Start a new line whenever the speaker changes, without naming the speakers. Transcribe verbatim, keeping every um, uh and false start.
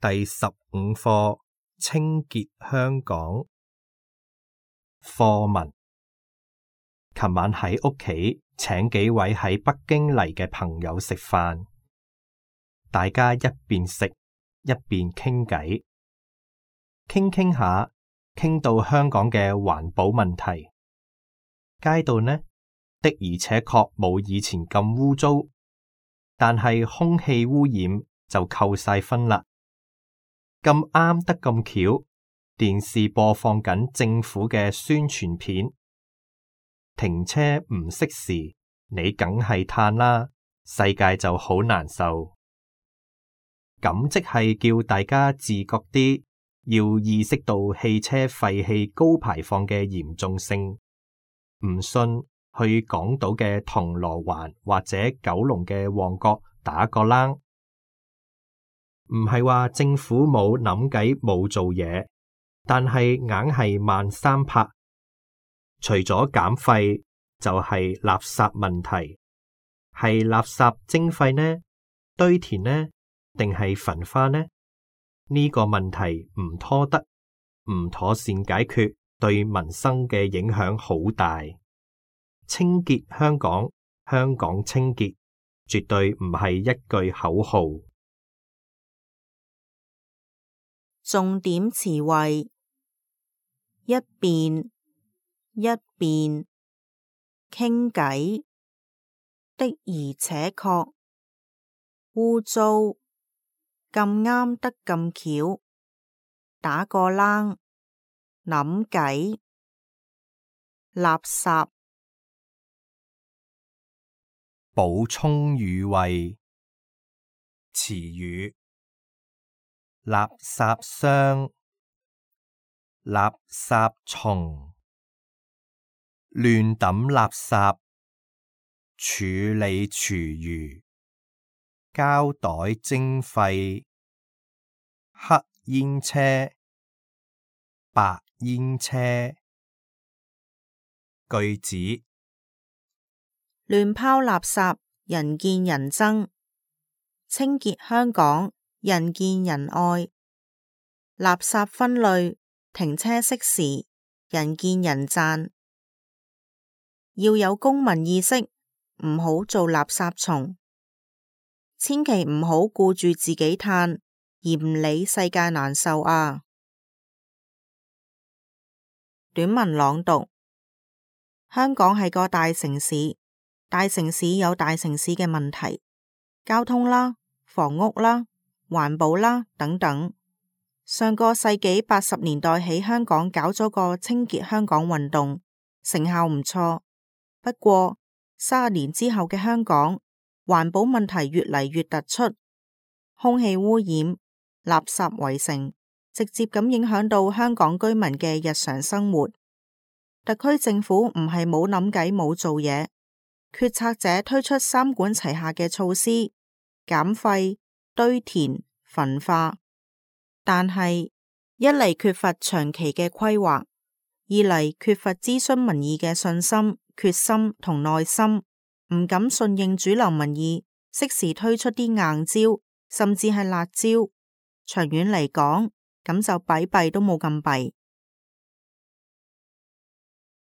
第十五課清潔香港。課文：琴晚喺屋企請幾位喺北京嚟嘅朋友食飯，大家一邊食一邊傾偈，傾傾下，傾到香港嘅環保問題。街道呢，的而且確冇以前咁污糟，但係空氣污染就扣晒分啦。咁啱得咁巧，電視播放緊政府嘅宣傳片，停車唔熄匙，你梗係嘆啦，世界就好難受。咁即係叫大家自覺啲，要意識到汽車廢氣高排放嘅嚴重性。唔信，去港島嘅銅鑼灣或者九龍嘅旺角打個冷。唔係話政府冇諗計冇做嘢，但係硬係慢三拍。除咗減廢，就係垃圾問題。係垃圾徵費呢？堆填呢？定係焚化呢？呢個問題唔拖得，唔妥善解決，對民生嘅影響好大。清潔香港，香港清潔，絕對唔係一句口號。
重點詞彙：一邊、一邊、傾偈、的而且確、污糟、咁啱得咁巧、打個冷、諗計、垃圾。
補充語彙：詞語：垃圾箱、垃圾蟲、亂抌垃圾、處理廚餘、膠袋徵費、黑煙車、白煙車。句子：
亂拋垃圾，人見人憎；清潔香港，人見人愛。垃圾分類，停車熄匙，人見人讚。要有公民意識，唔好做垃圾蟲。千祈唔好顧住自己嘆，而唔理世界難受啊！短文朗讀：香港係個大城市，大城市有大城市嘅問題，交通啦、房屋啦、環保啦等等。上個世紀八十年代喺香港搞咗個清潔香港運動，成效唔錯。不過三十年之後嘅香港，環保問題越嚟越突出，空氣污染、垃圾圍城，直接咁影響到香港居民嘅日常生活。特區政府唔係冇諗計冇做嘢，決策者推出三管齊下嘅措施，減廢、堆填、焚化。但係一嚟缺乏長期嘅規劃，二嚟缺乏諮詢民意嘅信心、決心同耐心，唔敢順應主流民意，適時推出啲硬招，甚至係辣招。長遠嚟講，咁就弊弊都冇咁弊。